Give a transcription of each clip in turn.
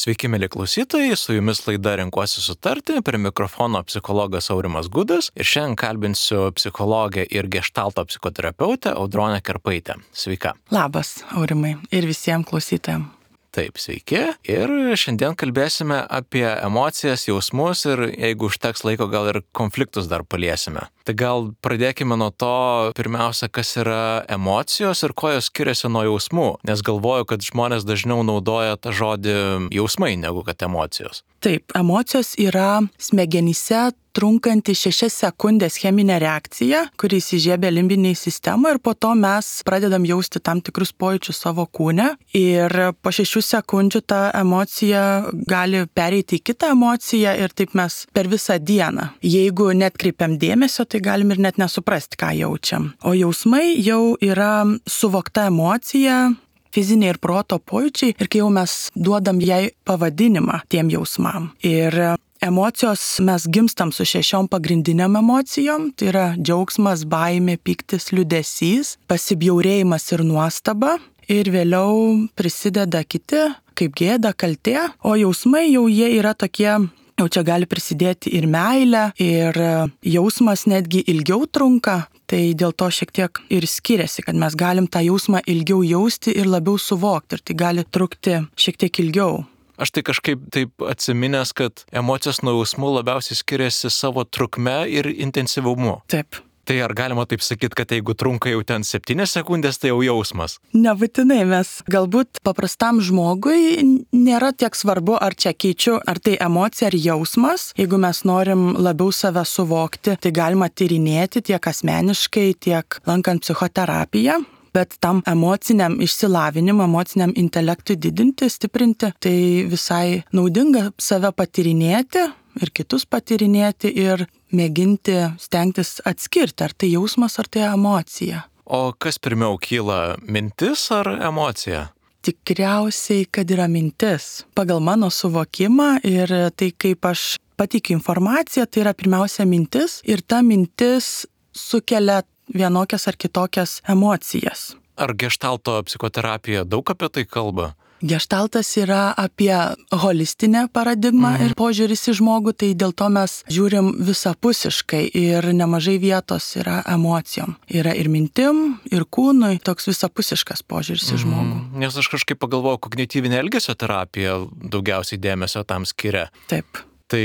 Sveiki, mėly klausytojai, su jumis laida Renkuosi sutarti, prie mikrofono psichologas Aurimas Gudas ir šiandien kalbinsiu psichologę ir geštalto psichoterapeutę Audronę Kerpaitę. Sveika. Labas, Aurimai, ir visiems klausytojams. Taip, sveiki. Ir šiandien kalbėsime apie emocijas, jausmus ir jeigu užteks laiko, gal ir konfliktus dar paliesime. Tai gal pradėkime nuo to, pirmiausia, kas yra emocijos ir kuo jos skiriasi nuo jausmų, nes galvoju, kad žmonės dažniau naudoja tą žodį jausmai negu kad emocijos. Taip, emocijos yra smegenyse trunkanti 6 sekundės cheminė reakcija, kuri įsižiebia limbiniai sistemai ir po to mes pradedam jausti tam tikrus pojūčius savo kūne ir po 6 sekundžių ta emocija gali pereiti į kitą emociją ir taip mes per visą dieną. Jeigu netkreipiam dėmesio, tai galim ir net nesuprasti, ką jaučiam. O jausmai jau yra suvokta emocija, fiziniai ir proto pojūčiai ir kai jau mes duodam jai pavadinimą tiem jausmam. Ir emocijos mes gimstam su 6 pagrindiniam emocijom, tai yra džiaugsmas, baimė, pyktis, liūdesys, pasibjaurėjimas ir nuostaba. Ir vėliau prisideda kiti, kaip gėda, kaltė, o jausmai jau jie yra tokie, jau čia gali prisidėti ir meilė, ir jausmas netgi ilgiau trunka. Tai dėl to šiek tiek ir skiriasi, kad mes galim tą jausmą ilgiau jausti ir labiau suvokti. Ir tai gali trukti šiek tiek ilgiau. Aš tai kažkaip taip atsiminęs, kad emocijos nuo jausmų labiausiai skiriasi savo trukme ir intensyvumu. Taip. Tai ar galima taip sakyti, kad jeigu trunka jau ten 7 sekundės, tai jau jausmas? Nebūtinai, mes galbūt paprastam žmogui nėra tiek svarbu, ar čia keičiu, ar tai emocija, ar jausmas. Jeigu mes norim labiau save suvokti, tai galima tyrinėti tiek asmeniškai, tiek lankant psichoterapiją. Bet tam emociniam išsilavinimui, emociniam intelektui didinti, stiprinti, tai visai naudinga save patyrinėti ir kitus patyrinėti ir mėginti stengtis atskirti, ar tai jausmas, ar tai emocija. O kas pirmiau kyla, mintis ar emocija? Tikriausiai, kad yra mintis. Pagal mano suvokimą ir tai, kaip aš pateikiu informaciją, tai yra pirmiausia mintis ir ta mintis sukelia vienokias ar kitokias emocijas. Ar geštalto psichoterapija daug apie tai kalba? Geštaltas yra apie holistinę paradigmą ir požiūris į žmogų, tai dėl to mes žiūrim visapusiškai ir nemažai vietos yra emocijom. Yra ir mintim, ir kūnui, toks visapusiškas požiūris į žmogų. Nes aš kažkaip pagalvojau, kognityvinė elgesio terapija daugiausiai dėmesio tam skiria. Taip. Tai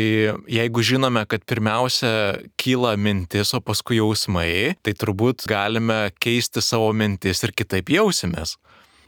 jeigu žinome, kad pirmiausia kyla mintis, o paskui jausmai, tai turbūt galime keisti savo mintis ir kitaip jausimės.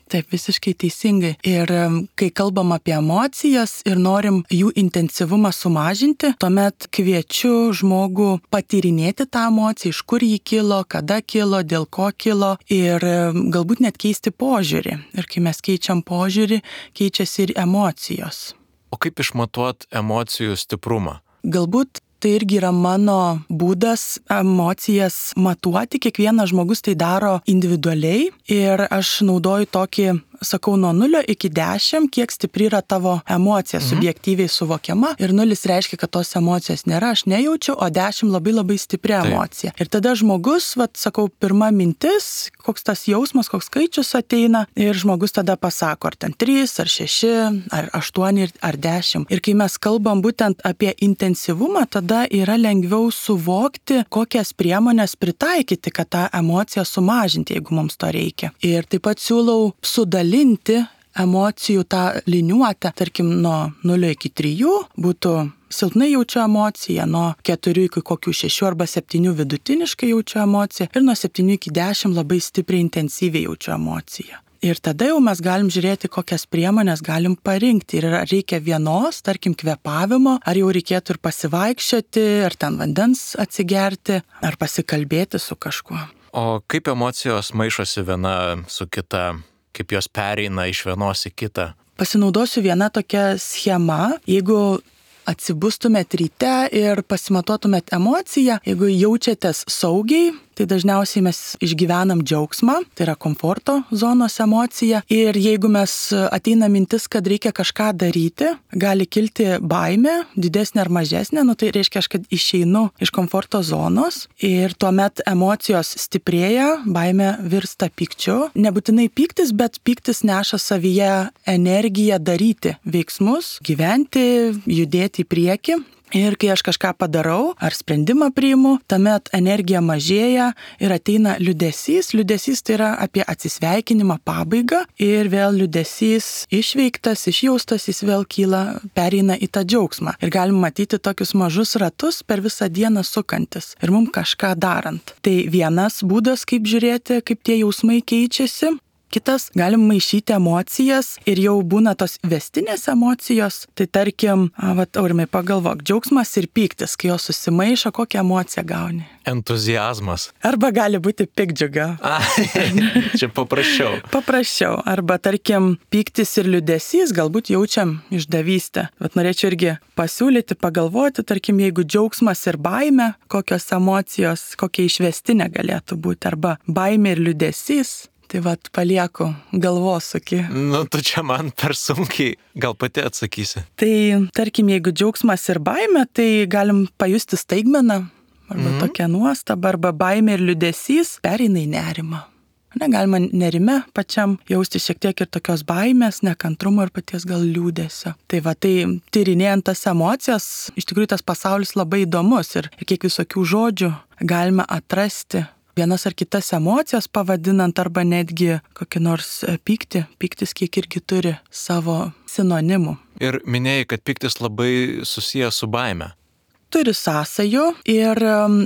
Taip, visiškai teisingai. Ir kai kalbam apie emocijas ir norim jų intensyvumą sumažinti, tuomet kviečiu žmogų patyrinėti tą emociją, iš kur jį kilo, kada kilo, dėl ko kilo ir galbūt net keisti požiūrį. Ir kai mes keičiam požiūrį, keičiasi ir emocijos. O kaip išmatuot emocijų stiprumą? Galbūt tai irgi yra mano būdas emocijas matuoti. Kiekvienas žmogus tai daro individualiai ir aš naudoju tokį, sakau, nuo 0 iki 10, kiek stipri yra tavo emocija subjektyviai suvokiama. Ir 0 reiškia, kad tos emocijos nėra, aš nejaučiu, o 10 labai labai stipri emocija. Ir tada žmogus, sakau, pirma mintis, koks tas jausmas, koks skaičius ateina ir žmogus tada pasako, ar ten 3, ar 6, ar 8, ar 10. Ir kai mes kalbam būtent apie intensyvumą, tada yra lengviau suvokti, kokias priemonės pritaikyti, kad tą emociją sumažinti, jeigu mums to reikia. Ir taip pat siūlau sudalinti emocijų tą liniuotę, tarkim, nuo 0 iki 3 būtų silpnai jaučiu emociją, nuo 4 iki kokių 6 arba 7 vidutiniškai jaučiu emociją ir nuo 7 iki 10 labai stipriai intensyviai jaučiu emociją. Ir tada jau mes galim žiūrėti, kokias priemonės galim parinkti. Ir ar reikia vienos, tarkim, kvėpavimo, ar jau reikėtų ir pasivaikščioti, ar ten vandens atsigerti, ar pasikalbėti su kažkuo. O kaip emocijos maišosi viena su kita, kaip jos pereina iš vienos į kitą? Pasinaudosiu viena tokia schema, jeigu atsibustumėt ryte ir pasimatuotumėt emociją, jeigu jaučiatės saugiai, tai dažniausiai mes išgyvenam džiaugsmą, tai yra komforto zonos emocija. Ir jeigu mes ateina mintis, kad reikia kažką daryti, gali kilti baimė, didesnė ar mažesnė, tai reiškia, kad išeinu iš komforto zonos ir tuomet emocijos stiprėja, baimė virsta pykčiu. Nebūtinai pyktis, bet pyktis neša savyje energiją daryti veiksmus, gyventi, judėti į priekį. Ir kai aš kažką padarau ar sprendimą priimu, tuomet energija mažėja ir ateina liūdesys. Liūdesys tai yra apie atsisveikinimą, pabaigą ir vėl liūdesys išveiktas, išjaustas, jis vėl kyla, pereina į tą džiaugsmą. Ir galim matyti tokius mažus ratus per visą dieną sukantis ir mums kažką darant. Tai vienas būdas, kaip žiūrėti, kaip tie jausmai keičiasi. Kitas, galim maišyti emocijas ir jau būna tos vestinės emocijos. Tai tarkim, Aurimai, pagalvok, džiaugsmas ir pyktis, kai jos susimaišo, kokią emociją gauni? Entuziazmas. Arba gali būti piktdžiuga. Čia paprasčiau. Paprasčiau. Arba tarkim, pyktis ir liūdesys, galbūt jaučiam išdavystę. Bet norėčiau irgi pasiūlyti, pagalvoti, tarkim, jeigu džiaugsmas ir baimė, kokios emocijos, kokia išvestinė galėtų būti. Arba baimė ir liūdesys. Tai palieku galvosūkį. Tu čia man per sunkiai, gal pati atsakysi. Tai tarkim, jeigu džiaugsmas ir baimė, tai galim pajusti staigmeną, arba tokią nuostabą, arba baimė ir liūdesys pereina į nerimą. Galima nerime pačiam jausti šiek tiek ir tokios baimės, nekantrumo ir paties gal liūdesio. Tai tyrinėjant tas emocijas, iš tikrųjų tas pasaulis labai įdomus ir kiek visokių žodžių galime atrasti. Vienas ar kitas emocijas pavadinant arba netgi kokį nors pyktį. Pyktis kiek irgi turi savo sinonimų. Ir minėjai, kad pyktis labai susijęs su baime. Turi sąsajų ir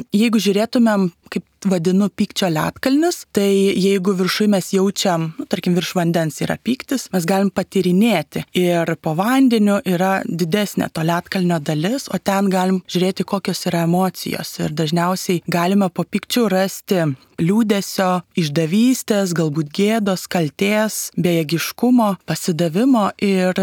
jeigu žiūrėtumėm, kaip vadinu, pykčio ledkalnis, tai jeigu viršui mes jaučiam, tarkim, virš vandens yra pyktis, mes galim patyrinėti ir po vandeniu yra didesnė to ledkalnio dalis, o ten galim žiūrėti, kokios yra emocijos ir dažniausiai galime po pykčių rasti liūdesio, išdavystės, galbūt gėdos, kaltės, bejėgiškumo, pasidavimo ir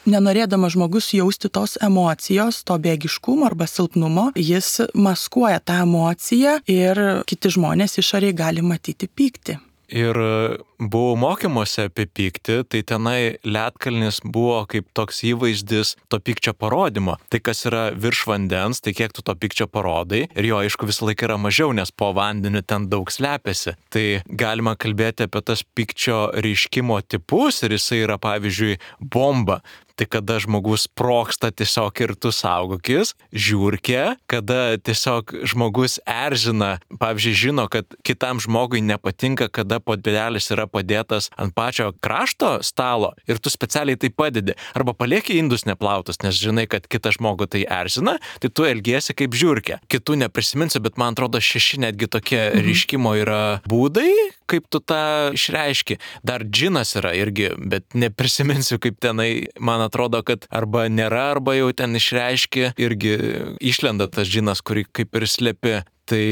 nenorėdama žmogus jausti tos emocijos, to bėgiškumo arba silpnumo, jis maskuoja tą emociją ir kiti žmonės išoriai gali matyti pyktį. Ir buvau mokymuose apie pyktį, tai tenai ledkalnis buvo kaip toks įvaizdis to pykčio parodymo. Tai kas yra virš vandens, tai kiek tu to pykčio parodai. Ir jo, aišku, visą laiką yra mažiau, nes po vandeniu ten daug slepiasi. Tai galima kalbėti apie tas pykčio reiškimo tipus ir jisai yra, pavyzdžiui, bomba. Tai kada žmogus sprogsta tiesiog ir tu saugokis, žiurkė, kada tiesiog žmogus erzina, pavyzdžiui, žino, kad kitam žmogui nepatinka, kada puodelis yra padėtas ant pačio krašto stalo ir tu specialiai tai padedi. Arba palieki indus neplautus, nes žinai, kad kitą žmogų tai erzina, tai tu elgiesi kaip žiurkė. Kitų neprisiminsiu, bet man atrodo 6 netgi tokie reiškimo yra būdai, kaip tu tą išreiški. Dar džinas yra irgi, bet neprisiminsiu, kaip tenai, man atrodo, kad arba nėra, arba jau ten išreiški, irgi išlenda tas džinas, kurį kaip ir slepi. Tai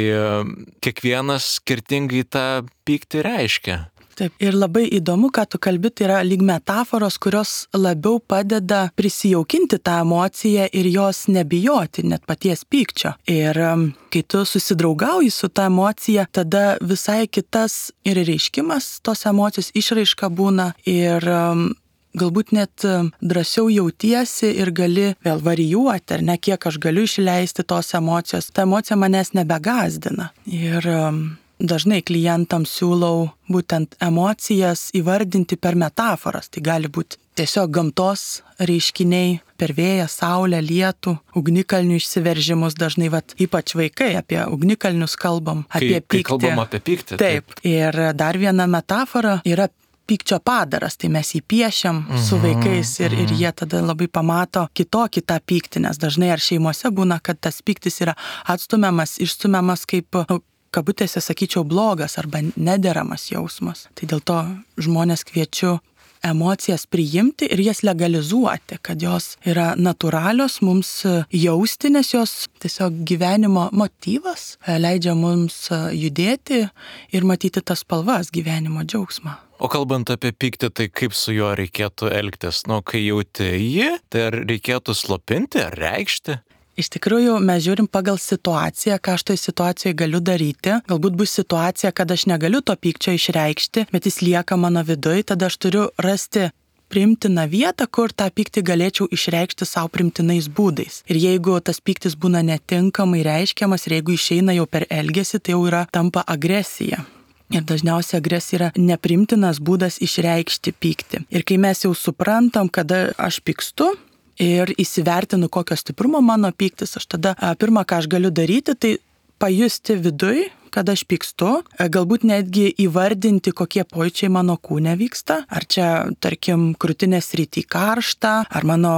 kiekvienas skirtingai tą pyktį reiškia. Taip, ir labai įdomu, ką tu kalbi, tai yra lyg metaforos, kurios labiau padeda prisijaukinti tą emociją ir jos nebijoti, net paties pykčio. Ir kai tu susidraugauji su tą emociją, tada visai kitas ir reiškimas tos emocijos išraiška būna ir galbūt net drąsiau jautiesi ir gali vėl varijuoti, ar ne, kiek aš galiu išleisti tos emocijos. Ta emocija manęs nebegąsdina. Ir dažnai klientams siūlau būtent emocijas įvardinti per metaforas. Tai gali būti tiesiog gamtos reiškiniai, per vėją, saulę, lietų, ugnikalnių išsiveržimus. Dažnai ypač vaikai apie ugnikalnius kalbam, apie pyktį. Kai kalbam apie pyktį. Taip. Ir dar viena metafora yra pykčio padaras, tai mes jį piešiam su vaikais ir jie tada labai pamato kitokį tą pyktį, nes dažnai ar šeimose būna, kad tas pyktis yra atstumiamas, išstumiamas kaip, kabutėse sakyčiau, blogas arba nederamas jausmas. Tai dėl to žmonės kviečiu emocijas priimti ir jas legalizuoti, kad jos yra natūralios mums jausti, nes jos tiesiog gyvenimo motyvas leidžia mums judėti ir matyti tas spalvas gyvenimo džiaugsmą. O kalbant apie pyktį, tai kaip su juo reikėtų elgtis? Kai jauti jį, tai ar reikėtų slopinti, ar reikšti? Iš tikrųjų, mes žiūrim pagal situaciją, ką aš toj situacijoje galiu daryti. Galbūt bus situacija, kad aš negaliu to pykčio išreikšti, bet jis lieka mano viduje, tada aš turiu rasti priimtiną vietą, kur tą pyktį galėčiau išreikšti savo primtinais būdais. Ir jeigu tas pyktis būna netinkamai reiškiamas ir jeigu išeina jau per elgesį, tai jau tampa agresija. Ir dažniausiai agresija yra neprimtinas būdas išreikšti pyktį. Ir kai mes jau suprantam, kada aš pykstu, ir įsivertinu, kokio stiprumo mano pyktis, aš tada pirmą, ką aš galiu daryti, tai pajusti viduj, kad aš pykstu, galbūt netgi įvardinti, kokie pojūčiai mano kūne vyksta, ar čia, tarkim, krūtinės srity karšta, ar mano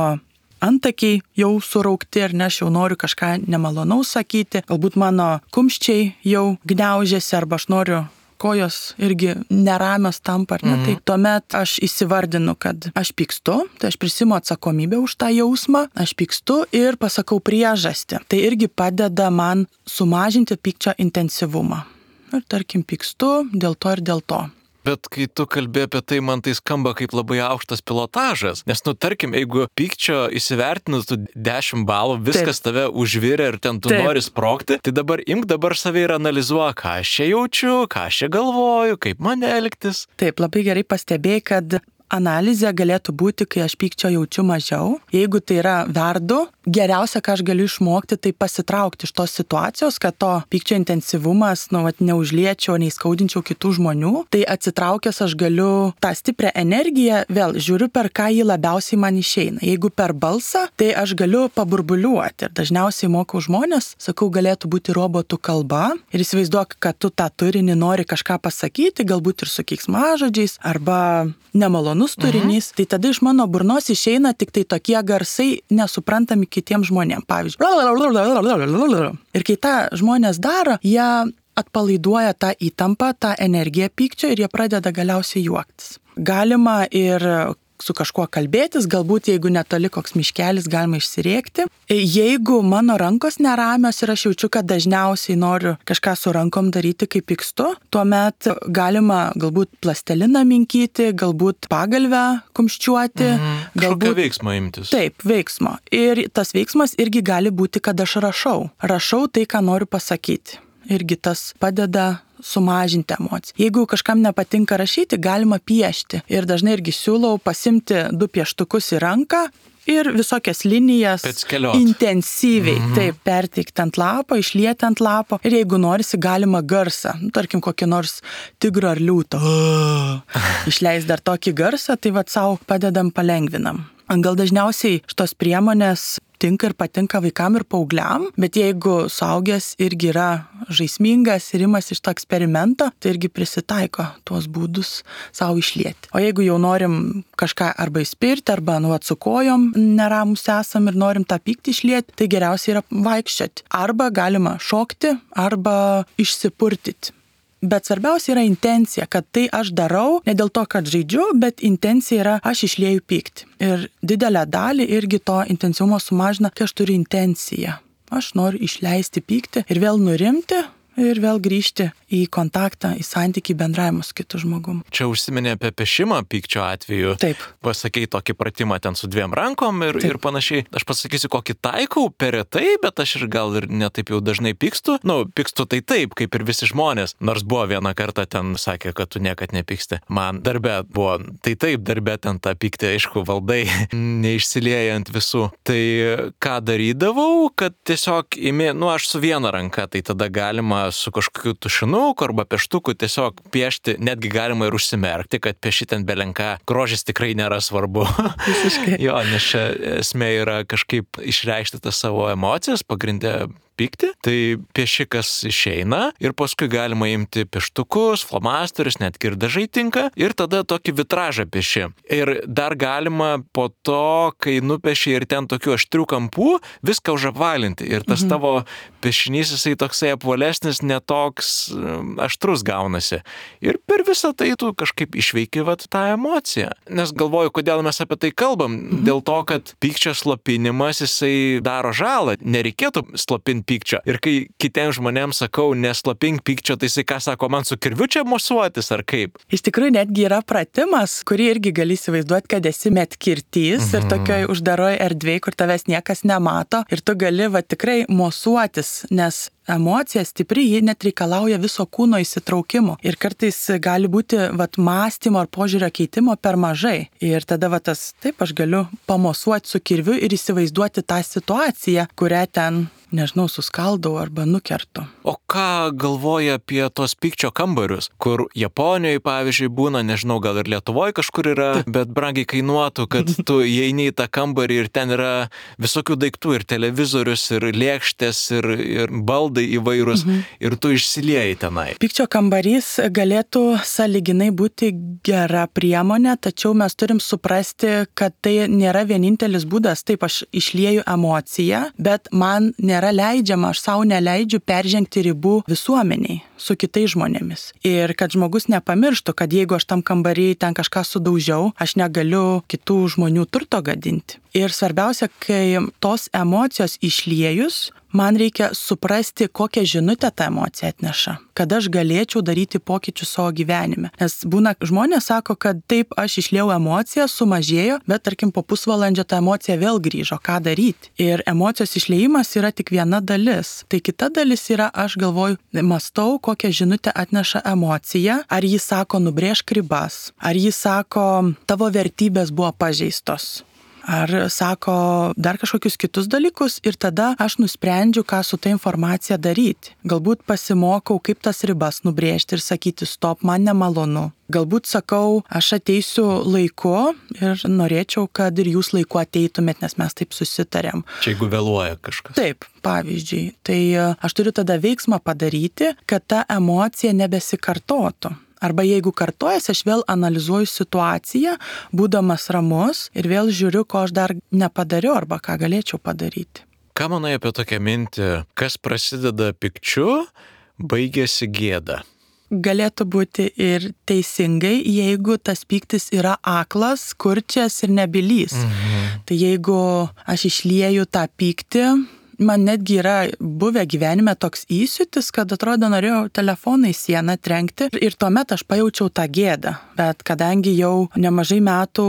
antakiai jau suraukti, ar ne, aš jau noriu kažką nemalonaus sakyti, galbūt mano kumščiai jau gniaužiasi, arba aš noriu kojos irgi neramios tampa, ar ne? Tai tuomet aš įsivardinu, kad aš pykstu, tai aš prisimu atsakomybę už tą jausmą, aš pykstu ir pasakau priežastį. Tai irgi padeda man sumažinti pykčio intensyvumą. Ir tarkim, pykstu dėl to ir dėl to. Bet kai tu kalbi apie tai, man tai skamba kaip labai aukštas pilotažas. Nes, tarkim, jeigu pykčio įsivertinus tu 10 balų, viskas tave užvirė ir ten tu nori sprogti, tai dabar imk save ir analizuok, ką aš čia jaučiu, ką aš čia galvoju, kaip man elgtis. Taip, labai gerai pastebėjai, kad analizė galėtų būti, kai aš pykčio jaučiu mažiau. Jeigu tai yra verdu, geriausia, ką aš galiu išmokti, tai pasitraukti iš tos situacijos, kad to pykčio intensyvumas, neužliečiau, neįskaudinčiau kitų žmonių. Tai atsitraukęs aš galiu tą stiprią energiją, vėl žiūriu, per ką jį labiausiai man išeina. Jeigu per balsą, tai aš galiu paburbuliuoti. Ir dažniausiai mokau žmonės, sakau, galėtų būti robotų kalba. Ir įsivaizduok, kad tu tą turinį nori kažką pasakyti, galbūt ir su keiksmažodžiais, arba nemalonus turinys, tai tada iš mano burnos išeina tik tai tokie garsai nesuprantami kitiems žmonėms. Pavyzdžiui, ir kai tą žmonės daro, jie atpalaiduoja tą įtampą, tą energiją pykčio ir jie pradeda galiausiai juoktis. Galima ir su kažkuo kalbėtis, galbūt jeigu netoli koks miškelis, galima išsirėkti. Jeigu mano rankos neramios ir aš jaučiu, kad dažniausiai noriu kažką su rankom daryti, kai pykstu, tuomet galima galbūt plasteliną minkyti, galbūt pagalvę kumščiuoti. Galbūt veiksmo imtis. Taip, veiksmo. Ir tas veiksmas irgi gali būti, kad aš rašau. Rašau tai, ką noriu pasakyti. Irgi tas padeda sumažinti emociją. Jeigu kažkam nepatinka rašyti, galima piešti. Ir dažnai irgi siūlau pasimti 2 pieštukus į ranką ir visokias linijas intensyviai taip perteikti ant lapo, išlieti ant lapo. Ir jeigu norisi, galima garsą, tarkim, kokį nors tigro ar liūto. Išleis dar tokį garsą, tai savo padedam, palengvinam. Gal dažniausiai šitos priemonės tinka ir patinka vaikam ir paaugliam, bet jeigu suaugęs irgi yra žaismingas ir imasi iš to eksperimento, tai irgi prisitaiko tuos būdus savo išlieti. O jeigu jau norim kažką arba įspirti, arba su kojom neramus esam ir norim tą pyktį išlieti, tai geriausiai yra vaikščioti. Arba galima šokti, arba išsipurtyti. Bet svarbiausia yra intencija, kad tai aš darau ne dėl to, kad žaidžiu, bet intencija yra aš išlieju pyktį. Ir didelę dalį irgi to intensyvumo sumažina, kai aš turiu intenciją. Aš noriu išleisti pyktį ir vėl nurimti ir vėl grįžti į kontaktą, į santykį, bendravimą su kitu žmogum. Čia užsiminė apie pešimą pykčio atveju. Taip. Pasakei tokį pratimą ten su 2 rankom ir panašiai. Aš pasakysiu, kokį taikau per retai, bet aš ir gal ir netaip jau dažnai pykstu. Pykstu tai taip, kaip ir visi žmonės. Nors buvo vieną kartą ten sakė, kad tu niekad nepyksti. Man darbe buvo, tai taip, darbe ten tą pyktį, aišku, valdai, neišsiliejant visų. Tai ką darydavau, kad tiesiog aš su viena ranka, tai tada galima su kažkokiu tušinuku arba peštuku tiesiog piešti, netgi galima ir užsimerkti, kad pieši ten belenką. Grožis tikrai nėra svarbu. Visiškai. Jo, nes čia esmė yra kažkaip išreikšti tas savo emocijas, pagrindė pykti, tai piešikas išeina ir paskui galima imti pieštukus, flomasterius, netgi ir dažai tinka ir tada tokį vitražą pieši. Ir dar galima po to, kai nupieši ir ten tokių aštrių kampų, viską užapvalinti ir tas tavo piešinys jisai toksai apvalesnis, netoks aštrus gaunasi. Ir per visą tai tu kažkaip išveiki tą emociją. Nes galvoju, kodėl mes apie tai kalbam. Dėl to, kad pykčio slopinimas jisai daro žalą. Nereikėtų slopinti pykčio. Ir kai kitiems žmonėms sakau, neslopink pykčio, tai jisai ką sako, man su kirviu čia mosuotis ar kaip? Iš tikrųjų, netgi yra pratimas, kurį irgi gali įsivaizduoti, kad esi medkirtys ir tokioj uždaroj erdvėj, kur tavęs niekas nemato ir tu gali tikrai mosuotis, nes emocija stipri, ji net reikalauja viso kūno įsitraukimo. Ir kartais gali būti mąstymo ar požiūrio keitimo per mažai. Ir tada taip aš galiu pamosuoti su kirviu ir įsivaizduoti tą situaciją, kurią ten, nežinau, suskaldau arba nukertu. O ką galvoja apie tos pykčio kambarius, kur Japonijoje, pavyzdžiui, būna, nežinau, gal ir Lietuvoje kažkur yra, bet brangiai kainuotų, kad tu įeini į tą kambarį ir ten yra visokių daiktų, ir televizorius, ir lėkštės, ir baldai įvairūs, ir tu išsilieji tenai. Pykčio kambarys galėtų sąlyginai būti gera priemonė, tačiau mes turim suprasti, kad tai nėra vienintelis būdas. Taip, aš išlieju emociją, bet man nėra leidžiama, aš savo neleidžiu peržengti ribų visuomeniai su kitais žmonėmis. Ir kad žmogus nepamirštų, kad jeigu aš tam kambarį ten kažką sudaužiau, aš negaliu kitų žmonių turto gadinti. Ir svarbiausia, kai tos emocijos išliejus, man reikia suprasti, kokią žinutę ta emocija atneša, kad aš galėčiau daryti pokyčius savo gyvenime. Nes būna, žmonės sako, kad taip, aš išliejau emociją, sumažėjo, bet tarkim po pusvalandžio ta emocija vėl grįžo, ką daryti. Ir emocijos išliejimas yra tik viena dalis. Tai kita dalis yra, aš galvoju, mąstau, kokią žinutę atneša emocija, ar jis sako, nubrėžk ribas, ar jis sako, tavo vertybės buvo pažeistos. Ar sako dar kažkokius kitus dalykus ir tada aš nusprendžiu, ką su ta informacija daryti. Galbūt pasimokau, kaip tas ribas nubrėžti ir sakyti, stop, man nemalonu. Galbūt sakau, aš ateisiu laiku ir norėčiau, kad ir jūs laiku ateitumėt, nes mes taip susitarėm. Čia jeigu vėluoja kažkas. Taip, pavyzdžiui. Tai aš turiu tada veiksmą padaryti, kad ta emocija nebesikartotų. Arba jeigu kartojasi, aš vėl analizuoju situaciją, būdamas ramus ir vėl žiūriu, ko aš dar nepadariau arba ką galėčiau padaryti. Ką manai apie tokią mintį, kas prasideda pykčiu, baigėsi gėda? Galėtų būti ir teisingai, jeigu tas pyktis yra aklas, kurčias ir nebylys. Tai jeigu aš išlieju tą pyktį, man netgi yra buvę gyvenime toks įsiūtis, kad atrodo norėjau telefoną į sieną trenkti ir tuomet aš pajaučiau tą gėdą. Bet kadangi jau nemažai metų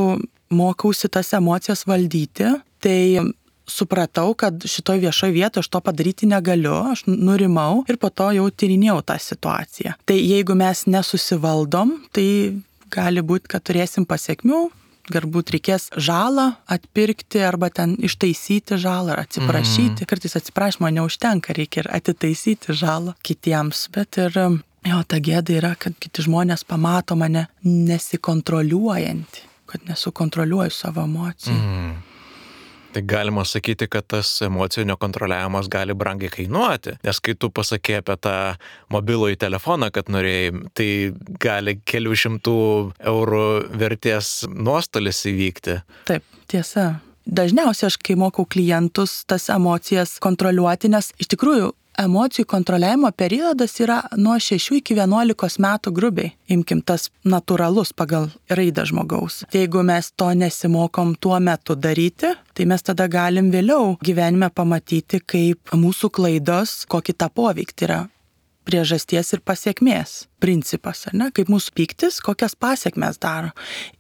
mokausi tas emocijas valdyti, tai supratau, kad šitoj viešoj vietoje aš to padaryti negaliu, aš nurimau ir po to jau tyrinėjau tą situaciją. Tai jeigu mes nesusivaldom, tai gali būti, kad turėsim pasiekmių. Galbūt reikės žalą atpirkti arba ten ištaisyti žalą ar atsiprašyti. Kartais atsiprašymo neužtenka, reikia ir atitaisyti žalą kitiems. Bet ir ta gėda yra, kad kiti žmonės pamato mane nesikontroliuojantį, kad nesukontroliuoju savo emocijų. Tai galima sakyti, kad tas emocijų nekontroliavimas gali brangiai kainuoti, nes kai tu pasakė apie tą mobilųjį telefoną, kad norėjai, tai gali kelių šimtų eurų vertės nuostolis įvykti. Taip, tiesa. Dažniausiai aš, kai mokau klientus tas emocijas kontroliuoti, nes iš tikrųjų emocijų kontroliavimo periodas yra nuo 6 iki 11 metų grubiai. Imkim tas natūralus pagal raidą žmogaus. Tai jeigu mes to nesimokom tuo metu daryti, tai mes tada galim vėliau gyvenime pamatyti, kaip mūsų klaidos, kokį tą poveikį yra priežasties ir pasiekmės principas, ar ne? Kaip mūsų pyktis, kokias pasiekmes daro.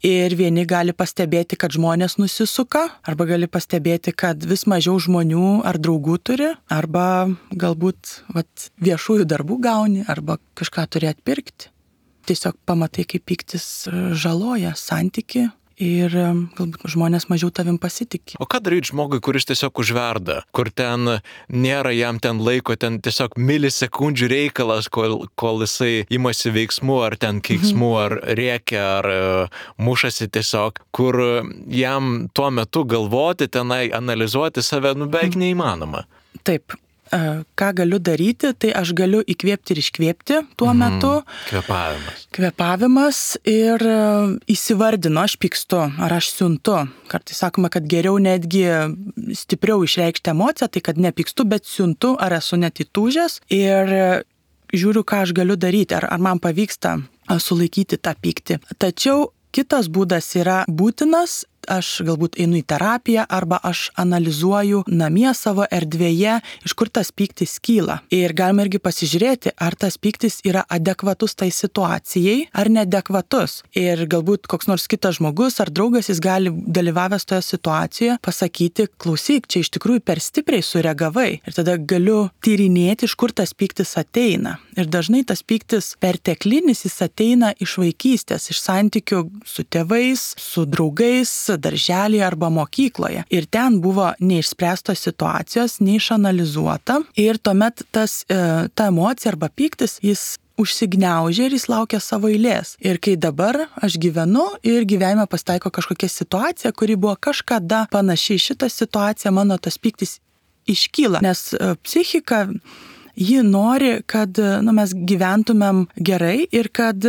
Ir vieni gali pastebėti, kad žmonės nusisuka, arba gali pastebėti, kad vis mažiau žmonių ar draugų turi, arba galbūt viešųjų darbų gauni, arba kažką turi atpirkti. Tiesiog pamatai, kaip pyktis žaloja santyki. Ir galbūt žmonės mažiau tavim pasitikė. O ką daryti žmogui, kuris tiesiog užverda, kur ten nėra jam ten laiko, ten tiesiog milisekundžių reikalas, kol jisai imasi veiksmų, ar ten keiksmų, ar rėkia, ar mušasi tiesiog, kur jam tuo metu galvoti, tenai analizuoti save, beveik neįmanoma. Taip. Ką galiu daryti, tai aš galiu įkvėpti ir iškvėpti tuo metu. Kvėpavimas ir įsivardinu, aš pykstu, ar aš siuntu. Kartais sakoma, kad geriau netgi stipriau išreikšti emociją, tai kad nepykstu, bet siuntu, ar esu net įtūžęs ir žiūriu, ką aš galiu daryti, ar man pavyksta sulaikyti tą pyktį. Tačiau kitas būdas yra būtinas, aš galbūt einu į terapiją arba aš analizuoju namie savo erdvėje, iš kur tas pyktis kyla. Ir galima irgi pasižiūrėti, ar tas pyktis yra adekvatus tai situacijai ar neadekvatus. Ir galbūt koks nors kitas žmogus ar draugas, jis gali dalyvavęs toje situacijoje pasakyti, klausyk, čia iš tikrųjų per stipriai sureagavai. Ir tada galiu tyrinėti, iš kur tas pyktis ateina. Ir dažnai tas pyktis perteklinis, jis ateina iš vaikystės, iš santykių su tėvais, su draugais, darželėje arba mokykloje. Ir ten buvo neišspręstos situacijos, neišanalizuota. Ir tuomet ta emocija arba pyktis, jis užsigniaužia ir jis laukia savo eilės. Ir kai dabar aš gyvenu ir gyvenime pasitaiko kažkokia situacija, kuri buvo kažkada panaši į šitą situaciją, mano tas pyktis iškyla. Nes psichika, ji nori, kad mes gyventumėm gerai ir kad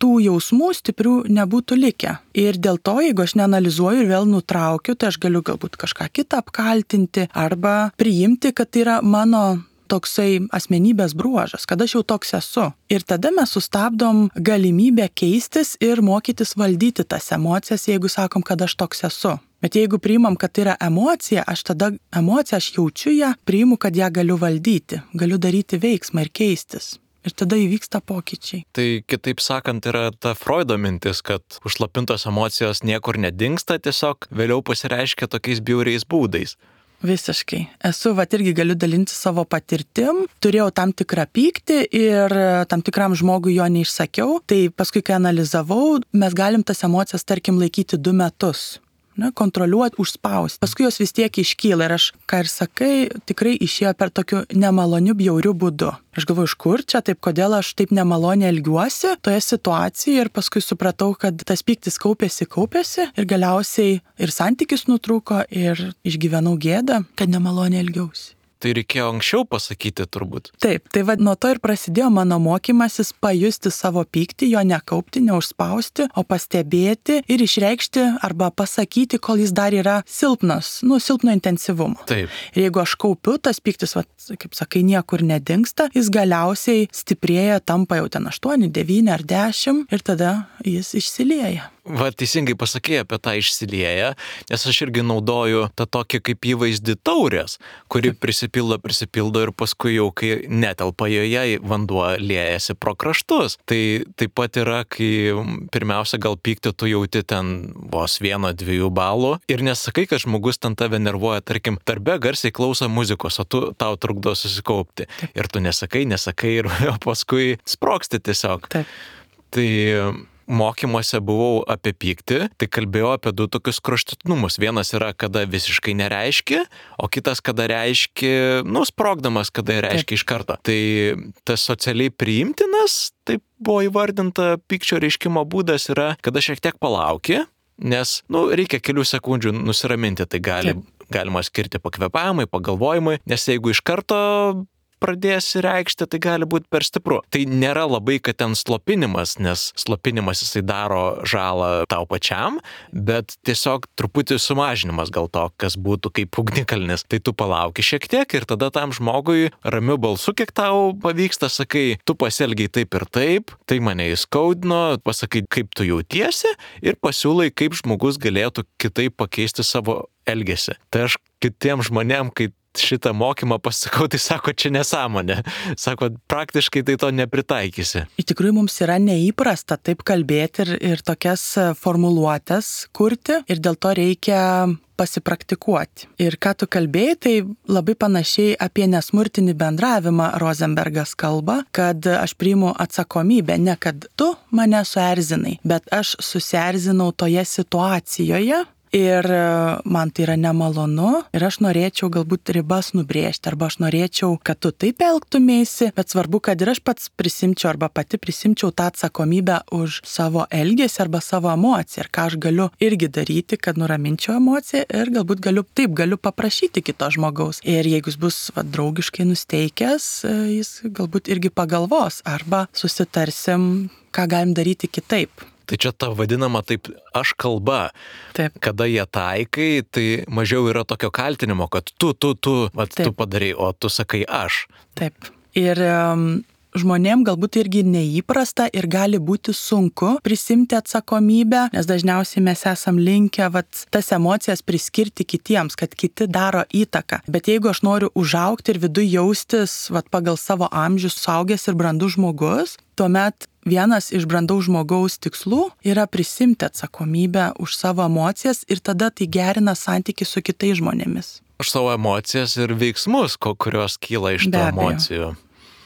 tų jausmų stiprių nebūtų likę. Ir dėl to, jeigu aš neanalizuoju ir vėl nutraukiu, tai aš galiu galbūt kažką kitą apkaltinti arba priimti, kad tai yra mano toksai asmenybės bruožas, kad aš jau toks esu. Ir tada mes sustabdom galimybę keistis ir mokytis valdyti tas emocijas, jeigu sakom, kad aš toks esu. Bet jeigu priimam, kad tai yra emocija, aš jaučiu ją, priimu, kad ją galiu valdyti, galiu daryti veiksmą ir keistis. Ir tada įvyksta pokyčiai. Tai kitaip sakant, yra ta Freudo mintis, kad užslopintos emocijos niekur nedingsta, tiesiog vėliau pasireiškia tokiais bjauriais būdais. Visiškai. Irgi galiu dalinti savo patirtim. Turėjau tam tikrą pyktį ir tam tikram žmogui jo neišsakiau. Tai paskui, kai analizavau, mes galim tas emocijas, tarkim, laikyti 2 metus. Kontroliuoti, užspausti. Paskui jos vis tiek iškyla ir aš, ką ir sakai, tikrai išėjo per tokiu nemaloniu, bjauriu būdu. Aš galvoju, iš kur čia, taip kodėl aš taip nemaloniai elgiuosi toje situacijoje ir paskui supratau, kad tas pyktis kaupėsi ir galiausiai ir santykis nutrūko ir išgyvenau gėdą, kad nemaloniai elgiausi. Tai reikėjo anksčiau pasakyti turbūt. Taip, tai nuo to ir prasidėjo mano mokymasis pajusti savo pyktį, jo nekaupti, neužspausti, o pastebėti ir išreikšti arba pasakyti, kol jis dar yra silpnas, silpno intensyvumo. Taip. Ir jeigu aš kaupiu, tas pyktis, kaip sakai, niekur nedingsta, jis galiausiai stiprėja, tampa jau ten 8, 9 ar 10 ir tada jis išsilieja. Teisingai pasakėjai apie tą išsilieją, nes aš irgi naudoju tą tokį kaip įvaizdį taurės, kuri prisipildo ir paskui jau, kai netelpa joje, vanduo liejasi pro kraštus. Tai taip pat yra, kai pirmiausia gal pyktį tu jauti ten vos 1-2 balų ir nesakai, kad žmogus ten tave nervuoja, tarkim, darbe garsiai klauso muzikos, o tau trukdo susikaupti. Taip. Ir tu nesakai ir paskui sprogsti tiesiog. Taip. Tai mokymuose buvau apie pyktį, tai kalbėjau apie 2 tokius kraštutinumus. Vienas yra, kada visiškai nereiškia, o kitas, kada reiškia, sprogdamas, kada reiškia iš karto. Tai tas socialiai priimtinas, taip buvo įvardinta pykčio reiškimo būdas, yra, kada šiek tiek palauki, nes, reikia kelių sekundžių nusiraminti, tai galima skirti pakvėpavimui, pagalvojimui, nes jeigu iš karto pradėsi reikšti, tai gali būti per stipru. Tai nėra labai, kad ten slopinimas, nes slopinimas jisai daro žalą tau pačiam, bet tiesiog truputį sumažinimas gal to, kas būtų kaip ugnikalnis. Tai tu palauki šiek tiek ir tada tam žmogui ramiu balsu, kiek tau pavyksta, sakai, tu pasielgiai taip ir taip, tai mane įskaudino, pasakai, kaip tu jautiesi ir pasiūlai, kaip žmogus galėtų kitaip pakeisti savo elgesį. Tai aš kitiem žmonėm, kai šitą mokymą pasakau, tai sako, čia nesąmonė. Sako, praktiškai tai to nepritaikysi. Iš tikrųjų, mums yra neįprasta taip kalbėti ir tokias formuluotės kurti ir dėl to reikia pasipraktikuoti. Ir ką tu kalbėjai, tai labai panašiai apie nesmurtinį bendravimą Rosenbergas kalba, kad aš priimu atsakomybę, ne kad tu mane suerzinai, bet aš susierzinau toje situacijoje. Ir man tai yra nemalonu ir aš norėčiau galbūt ribas nubrėžti arba aš norėčiau, kad tu taip elgtumėsi, bet svarbu, kad ir aš pats prisimčiau arba pati prisimčiau tą atsakomybę už savo elgesį arba savo emociją ir ką aš galiu irgi daryti, kad nuraminčiau emociją ir galbūt galiu paprašyti kito žmogaus. Ir jeigu jis bus draugiškai nusteikęs, jis galbūt irgi pagalvos arba susitarsim, ką galim daryti kitaip. Tai čia ta vadinama taip aš kalba. Taip. Kada jie taikai, tai mažiau yra tokio kaltinimo, kad tu padarai, o tu sakai aš. Taip. Ir žmonėm galbūt irgi neįprasta ir gali būti sunku prisimti atsakomybę, nes dažniausiai mes esam linkę tas emocijas priskirti kitiems, kad kiti daro įtaką. Bet jeigu aš noriu užaugti ir viduje jaustis pagal savo amžių suaugęs ir brandus žmogus, tuomet vienas iš brandaus žmogaus tikslų yra prisimti atsakomybę už savo emocijas ir tada tai gerina santykį su kitais žmonėmis. Už savo emocijas ir veiksmus, kurios kyla iš tų emocijų.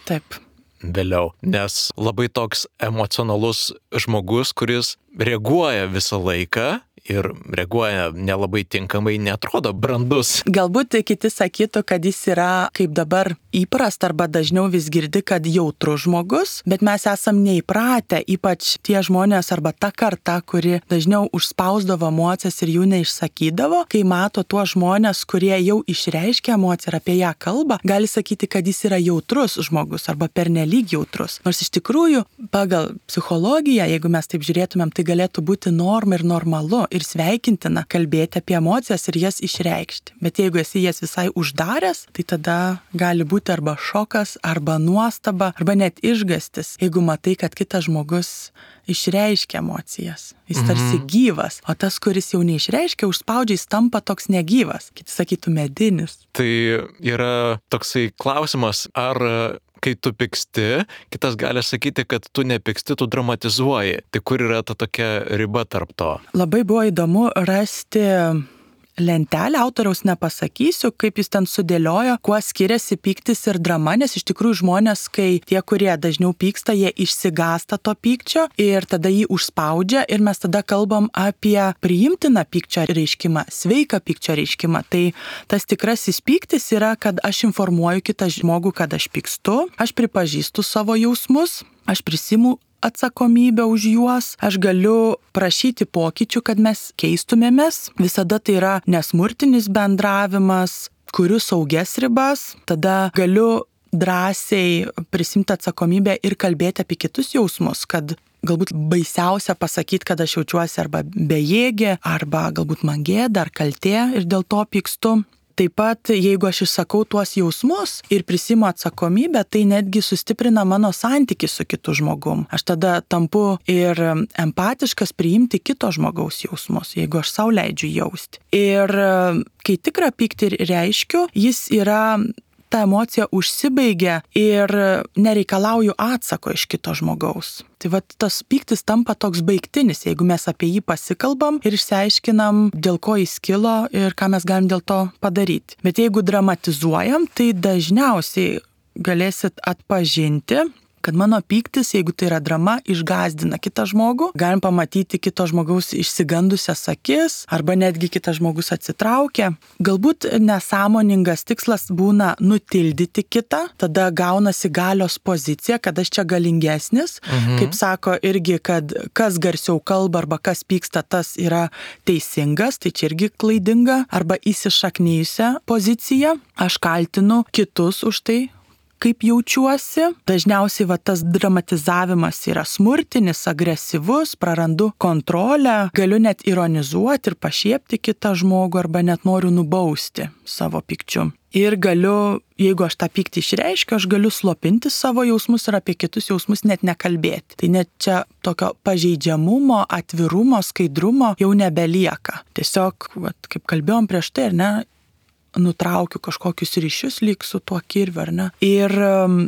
Taip. Vėliau, nes labai toks emocionalus žmogus, kuris reaguoja visą laiką ir reaguoja nelabai tinkamai, netrodo brandus. Galbūt kiti sakytų, kad jis yra, kaip dabar įprasta arba dažniau vis girdi, kad jautrus žmogus, bet mes esam neįpratę, ypač tie žmonės arba ta karta, kuri dažniau užspausdavo emocijas ir jų neišsakydavo, kai mato tuos žmonės, kurie jau išreiškia emociją ir apie ją kalba, gali sakyti, kad jis yra jautrus žmogus arba pernelyg jautrus. Nors iš tikrųjų, pagal psichologiją, jeigu mes taip žiūrėtumėm, tai galėtų būti norma ir normalu ir sveikintina kalbėti apie emocijas ir jas išreikšti. Bet jeigu esi jas visai uždaręs, tai tada gali būti arba šokas, arba nuostaba, arba net išgastis, jeigu matai, kad kitas žmogus išreiškia emocijas. Jis tarsi gyvas, o tas, kuris jau neišreiškia, užspaudžia, jis tampa toks negyvas. Kiti sakytų medinis. Tai yra toksai klausimas, ar kai tu pyksti, kitas gali sakyti, kad tu nepyksti, tu dramatizuoji. Tai kur yra ta tokia riba tarp to? Labai buvo įdomu rasti lentelę, autoriaus nepasakysiu, kaip jis ten sudėliojo, kuo skiriasi pyktis ir drama, nes iš tikrųjų žmonės, kai tie, kurie dažniau pyksta, jie išsigąsta to pykčio ir tada jį užspaudžia ir mes tada kalbam apie priimtiną pykčio reiškimą, sveiką pykčio reiškimą. Tai tas tikrasis pyktis yra, kad aš informuoju kitą žmogų, kad aš pykstu, aš pripažįstu savo jausmus, aš prisimu atsakomybę už juos, aš galiu prašyti pokyčių, kad mes keistumėmės. Visada tai yra nesmurtinis bendravimas, kuriu saugias ribas, tada galiu drąsiai prisimti atsakomybę ir kalbėti apie kitus jausmus, kad galbūt baisiausia pasakyti, kad aš jaučiuosi arba bejėgė, arba galbūt man gėda ar kaltė ir dėl to pykstu. Taip pat, jeigu aš išsakau tuos jausmus ir prisimu atsakomybę, tai netgi sustiprina mano santykį su kitu žmogum. Aš tada tampu ir empatiškas priimti kito žmogaus jausmus, jeigu aš sau leidžiu jausti. Ir kai tikrą pyktį reiškiu, jis yra ta emocija užsibaigia ir nereikalauju atsako iš kito žmogaus. Tai tas pyktis tampa toks baigtinis, jeigu mes apie jį pasikalbam ir išsiaiškinam, dėl ko jis kilo ir ką mes galim dėl to padaryti. Bet jeigu dramatizuojam, tai dažniausiai galėsit atpažinti, kad mano pyktis, jeigu tai yra drama, išgąsdina kitą žmogų. Galim pamatyti kito žmogaus išsigandusias akis, arba netgi kitas žmogus atsitraukia. Galbūt nesąmoningas tikslas būna nutildyti kitą, tada gaunasi galios pozicija, kad aš čia galingesnis. Kaip sako irgi, kad kas garsiau kalba arba kas pyksta, tas yra teisingas, tai čia irgi klaidinga, arba įsišaknyjusią poziciją. Aš kaltinu kitus už tai, kaip jaučiuosi. Dažniausiai tas dramatizavimas yra smurtinis, agresyvus, prarandu kontrolę, galiu net ironizuoti ir pašiepti kitą žmogų arba net noriu nubausti savo pykčiu. Ir galiu, jeigu aš tą pyktį išreiškiu, aš galiu slopinti savo jausmus ir apie kitus jausmus net nekalbėti. Tai net čia tokio pažeidžiamumo, atvirumo, skaidrumo jau nebelieka. Tiesiog, kaip kalbėjom prieš tai, ar ne, nutraukiu kažkokius ryšius lyg su tuo kirviu, ar ne? Ir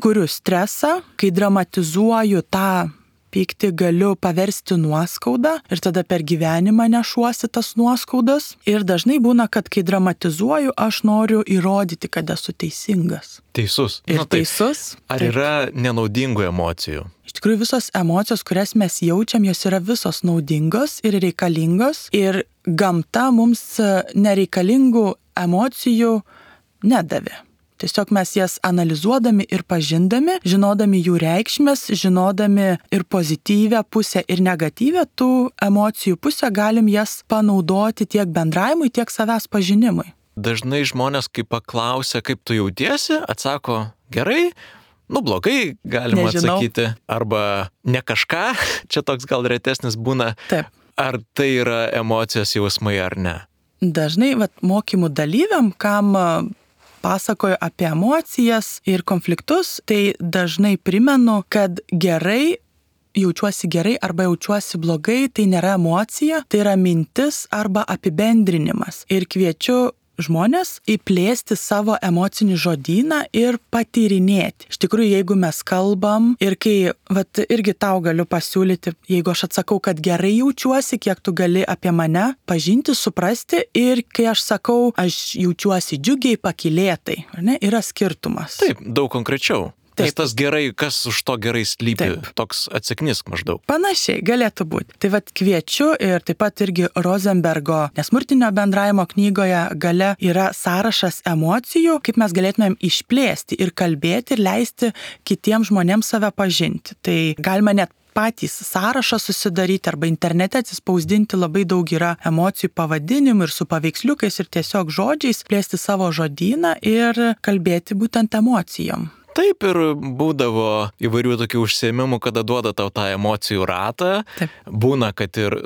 kuriu stresą, kai dramatizuoju tą pyktį, galiu paversti nuoskaudą ir tada per gyvenimą nešuosi tas nuoskaudas. Ir dažnai būna, kad kai dramatizuoju, aš noriu įrodyti, kad esu teisingas. Teisus. Ir teisus. Ar yra nenaudingų emocijų? Iš tikrųjų, visos emocijos, kurias mes jaučiam, jos yra visos naudingos ir reikalingos. Ir gamta mums nereikalingų emocijų nedavė. Tiesiog mes jas analizuodami ir pažindami, žinodami jų reikšmės, žinodami ir pozityvę pusę ir negatyvę tų emocijų pusę, galim jas panaudoti tiek bendravimui, tiek savęs pažinimui. Dažnai žmonės, kai paklausia, kaip tu jautiesi, atsako gerai, blogai, galima atsakyti, arba ne kažką, čia toks gal retesnis būna. Taip. Ar tai yra emocijos jausmai ar ne? Dažnai mokymų dalyviam, kam pasakoju apie emocijas ir konfliktus, tai dažnai primenu, kad jaučiuosi gerai arba jaučiuosi blogai, tai nėra emocija, tai yra mintis arba apibendrinimas. Ir kviečiu žmonės įplėsti savo emocinį žodyną ir patyrinėti. Iš tikrųjų, jeigu mes kalbam ir kai, irgi tau galiu pasiūlyti, jeigu aš atsakau, kad gerai jaučiuosi, kiek tu gali apie mane pažinti, suprasti, ir kai aš sakau, aš jaučiuosi džiugiai, pakylėtai, ar ne, yra skirtumas. Taip, daug konkrečiau. Nes tas gerai, kas už to gerai slypi, toks atsiknis maždaug. Panašiai galėtų būti. Tai kviečiu ir taip pat irgi Rosenbergo nesmurtinio bendravimo knygoje gale yra sąrašas emocijų, kaip mes galėtumėm išplėsti ir kalbėti ir leisti kitiems žmonėms save pažinti. Tai galima net patys sąrašą susidaryti arba internete atsispausdinti, labai daug yra emocijų pavadinimų ir su paveiksliukais ir tiesiog žodžiais plėsti savo žodyną ir kalbėti būtent emocijom. Taip, ir būdavo įvairių tokių užsiėmimų, kada duoda tau tą emocijų ratą. Taip. Būna, kad ir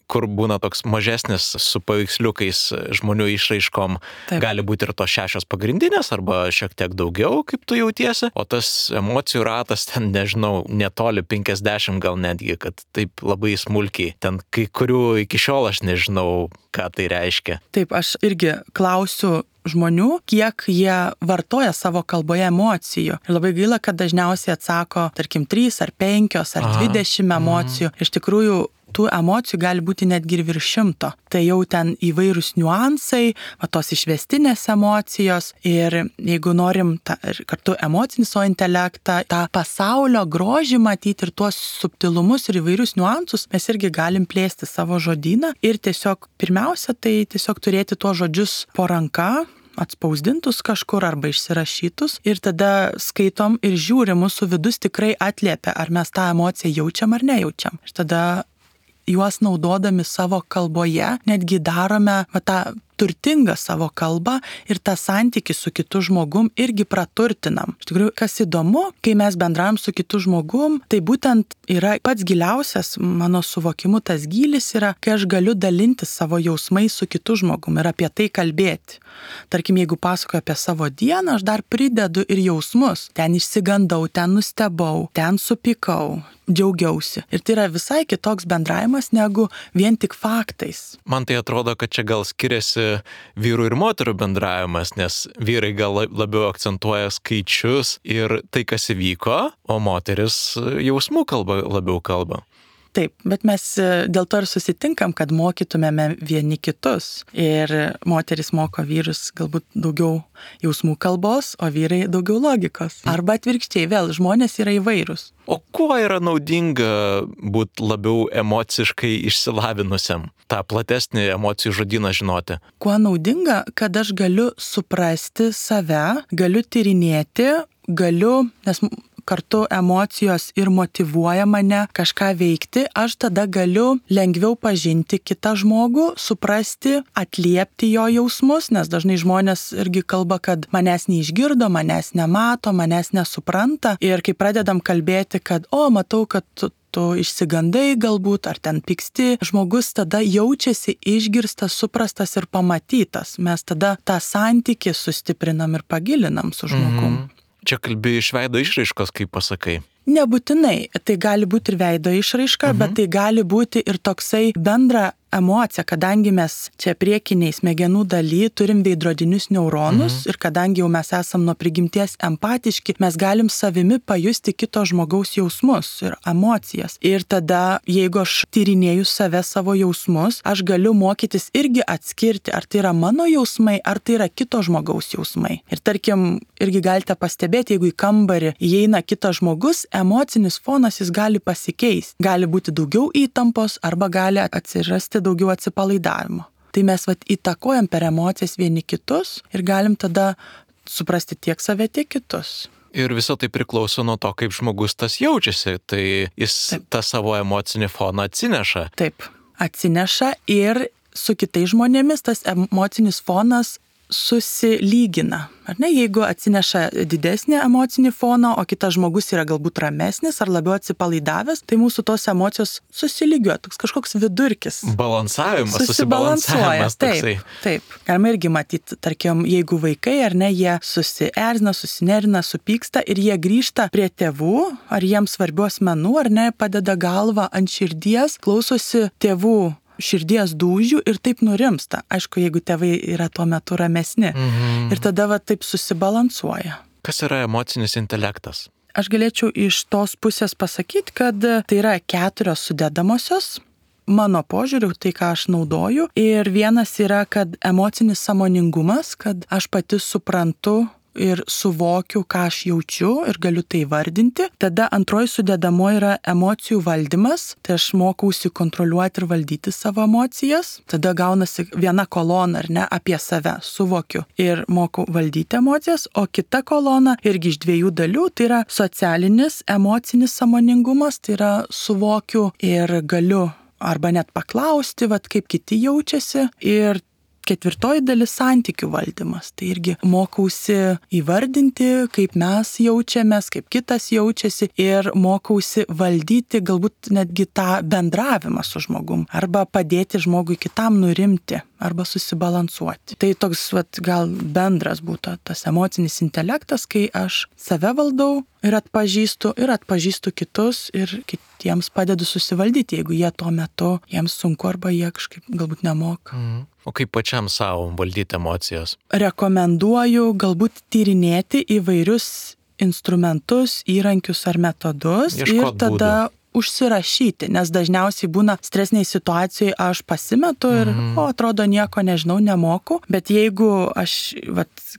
kur būna toks mažesnis su paveiksliukais žmonių išraiškom, Taip. gali būti ir tos 6 pagrindinės arba šiek tiek daugiau, kaip tu jautiesi, o tas emocijų ratas ten, nežinau, netoli 50 gal netgi, kad taip labai smulkiai, ten kai kurių iki šiol aš nežinau, ką tai reiškia. Taip, aš irgi klausiu žmonių, kiek jie vartoja savo kalboje emocijų. Ir labai gaila, kad dažniausiai atsako, tarkim, 3 ar 5 ar 20 emocijų. Iš tikrųjų, tų emocijų gali būti netgi ir virš 100. Tai jau ten įvairūs niuansai, tos išvestinės emocijos. Ir jeigu norim kartu emocinį savo intelektą, tą pasaulio grožį matyti ir tuos subtilumus ir įvairius niuansus, mes irgi galim plėsti savo žodyną. Ir tiesiog pirmiausia, tai tiesiog turėti tuos žodžius po ranka, atspausdintus kažkur arba išsirašytus, ir tada skaitom ir žiūrim, mūsų vidus tikrai atliepia, ar mes tą emociją jaučiam ar nejaučiam. Ir tada juos naudodami savo kalboje netgi darome tą turtingą savo kalbą ir tą santykį su kitu žmogum irgi praturtinam. Iš tikrųjų, kas įdomu, kai mes bendraujam su kitu žmogum, tai būtent yra pats giliausias mano suvokimu, tas gylis yra, kai aš galiu dalinti savo jausmais su kitu žmogum ir apie tai kalbėti. Tarkim, jeigu pasakoju apie savo dieną, aš dar pridedu ir jausmus. Ten išsigandau, ten nustebau, ten supykau, džiaugiausi. Ir tai yra visai kitoks bendravimas negu vien tik faktais. Man tai atrodo, kad čia gal skiriasi vyrų ir moterų bendravimas, nes vyrai gal labiau akcentuoja skaičius ir tai, kas įvyko, o moteris jausmų labiau kalba. Taip, bet mes dėl to ir susitinkam, kad mokytumėme vieni kitus. Ir moteris moko vyrus galbūt daugiau jausmų kalbos, o vyrai daugiau logikos. Arba atvirkščiai, vėl žmonės yra įvairūs. O kuo yra naudinga būti labiau emociškai išsilavinusiam, tą platesnį emocijų žodyną žinoti? Kuo naudinga, kad aš galiu suprasti save, galiu tyrinėti, nes kartu emocijos ir motyvuoja mane kažką veikti, aš tada galiu lengviau pažinti kitą žmogų, suprasti, atliepti jo jausmus, nes dažnai žmonės irgi kalba, kad manęs neišgirdo, manęs nemato, manęs nesupranta. Ir kai pradedam kalbėti, kad matau, kad tu išsigandai galbūt, ar ten pyksti, žmogus tada jaučiasi išgirstas, suprastas ir pamatytas. Mes tada tą santykį sustiprinam ir pagilinam su žmogum. Čia kalbi iš veido išraiškos, kaip pasakai. Nebūtinai, tai gali būti ir veido išraiška, bet tai gali būti ir toksai bendra emocija, kadangi mes čia priekiniai smegenų daly turim veidrodinius neuronus ir kadangi jau mes esam nuo prigimties empatiški, mes galim savimi pajusti kito žmogaus jausmus ir emocijas. Ir tada, jeigu aš tyrinėju savo jausmus, aš galiu mokytis irgi atskirti, ar tai yra mano jausmai, ar tai yra kito žmogaus jausmai. Ir tarkim, irgi galite pastebėti, jeigu į kambarį įeina kitas žmogus, emocinis fonas jis gali pasikeisti. Gali būti daugiau įtampos arba gali atsirasti daugiau atsipalaidavimo. Tai mes įtakojam per emocijas vieni kitus ir galim tada suprasti tiek save, tiek kitus. Ir viso tai priklauso nuo to, kaip žmogus tas jaučiasi. Tai jis tą savo emocinį foną atsineša. Taip, atsineša ir su kitais žmonėmis tas emocinis fonas susilygina. Ar ne, jeigu atsineša didesnį emocinį foną, o kitas žmogus yra galbūt ramesnis ar labiau atsipalaidavęs, tai mūsų tos emocijos susilygiuoja, toks kažkoks vidurkis. Balansavimas, susibalansavimas toksai. Taip. Galima irgi matyti, tarkim, jeigu vaikai ar ne, jie susierzina, susinerina, supyksta ir jie grįžta prie tėvų, ar jiems svarbių asmenų, ar ne, padeda galvą ant širdies, klausosi tėvų širdies dūžių ir taip nurimsta. Aišku, jeigu tėvai yra tuo metu ramesni. Ir tada taip susibalansuoja. Kas yra emocinis intelektas? Aš galėčiau iš tos pusės pasakyti, kad tai yra 4 sudedamosios mano požiūriu, tai ką aš naudoju. Ir vienas yra, kad emocinis sąmoningumas, kad aš pati suprantu ir suvokiu, ką aš jaučiu ir galiu tai vardinti. Tada antroji sudedamoji yra emocijų valdymas, tai aš mokausi kontroliuoti ir valdyti savo emocijas. Tada gaunasi viena kolona, ar ne, apie save, suvokiu ir moku valdyti emocijas, o kita kolona irgi iš 2 dalių, tai yra socialinis, emocinis sąmoningumas, tai yra suvokiu ir galiu arba net paklausti, kaip kiti jaučiasi. Ir 4 dalis santykių valdymas. Tai irgi mokausi įvardinti, kaip mes jaučiamės, kaip kitas jaučiasi ir mokausi valdyti galbūt netgi tą bendravimą su žmogum arba padėti žmogui kitam nurimti arba susibalansuoti. Tai toks gal bendras būtų tas emocinis intelektas, kai aš save valdau ir atpažįstu kitus ir kitiems padedu susivaldyti, jeigu jie tuo metu jiems sunku arba jie kažkaip galbūt nemoka. O kaip pačiam savo valdyti emocijas? Rekomenduoju galbūt tyrinėti įvairius instrumentus, įrankius ar metodus ir tada užsirašyti, nes dažniausiai būna stresiniai situacijai aš pasimetu ir atrodo nieko nežinau, nemoku, bet jeigu aš,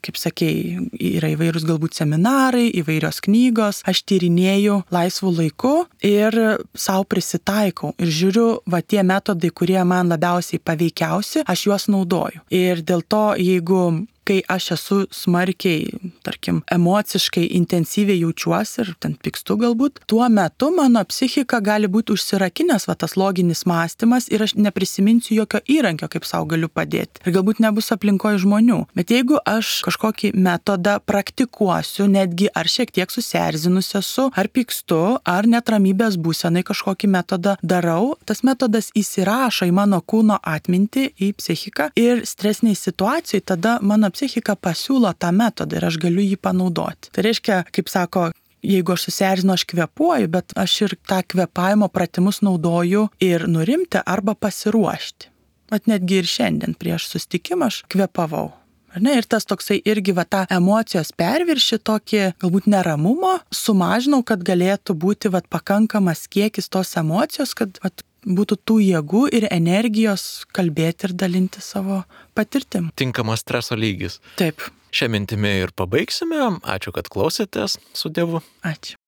kaip sakei, yra įvairūs galbūt seminarai, įvairios knygos, aš tyrinėju laisvų laiku ir savo prisitaikau ir žiūriu, tie metodai, kurie man labiausiai paveikiausi, aš juos naudoju. Ir dėl to, jeigu kai aš esu smarkiai, tarkim, emociškai intensyviai jaučiuosi ir ten pykstu galbūt, tuo metu mano psichika gali būti užsirakinęs tas loginis mąstymas ir aš neprisiminsiu jokio įrankio, kaip savo galiu padėti. Ir galbūt nebus aplinkoje žmonių. Bet jeigu aš kažkokį metodą praktikuosiu, netgi ar šiek tiek susierzinus esu, ar pykstu, ar net ramybės būsenai kažkokį metodą darau, tas metodas įsirašo į mano kūno atmintį, į psichiką ir stresiniai situacijai tada mano psichika pasiūlo tą metodą ir aš galiu jį panaudoti. Tai reiškia, kaip sako, jeigu aš susierzinu, aš kvėpuoju, bet aš ir tą kvėpavimo pratimus naudoju ir nurimti arba pasiruošti. Netgi ir šiandien prieš susitikimą aš kvėpavau. Ir tas toksai irgi tą emocijos perviršį, tokį galbūt neramumo, sumažinau, kad galėtų būti pakankamas kiekis tos emocijos, kad būtų tų jėgų ir energijos kalbėti ir dalinti savo patirtim. Tinkamas streso lygis. Taip. Šią mintimį ir pabaigsime. Ačiū, kad klausėtės. Su Dievu. Ačiū.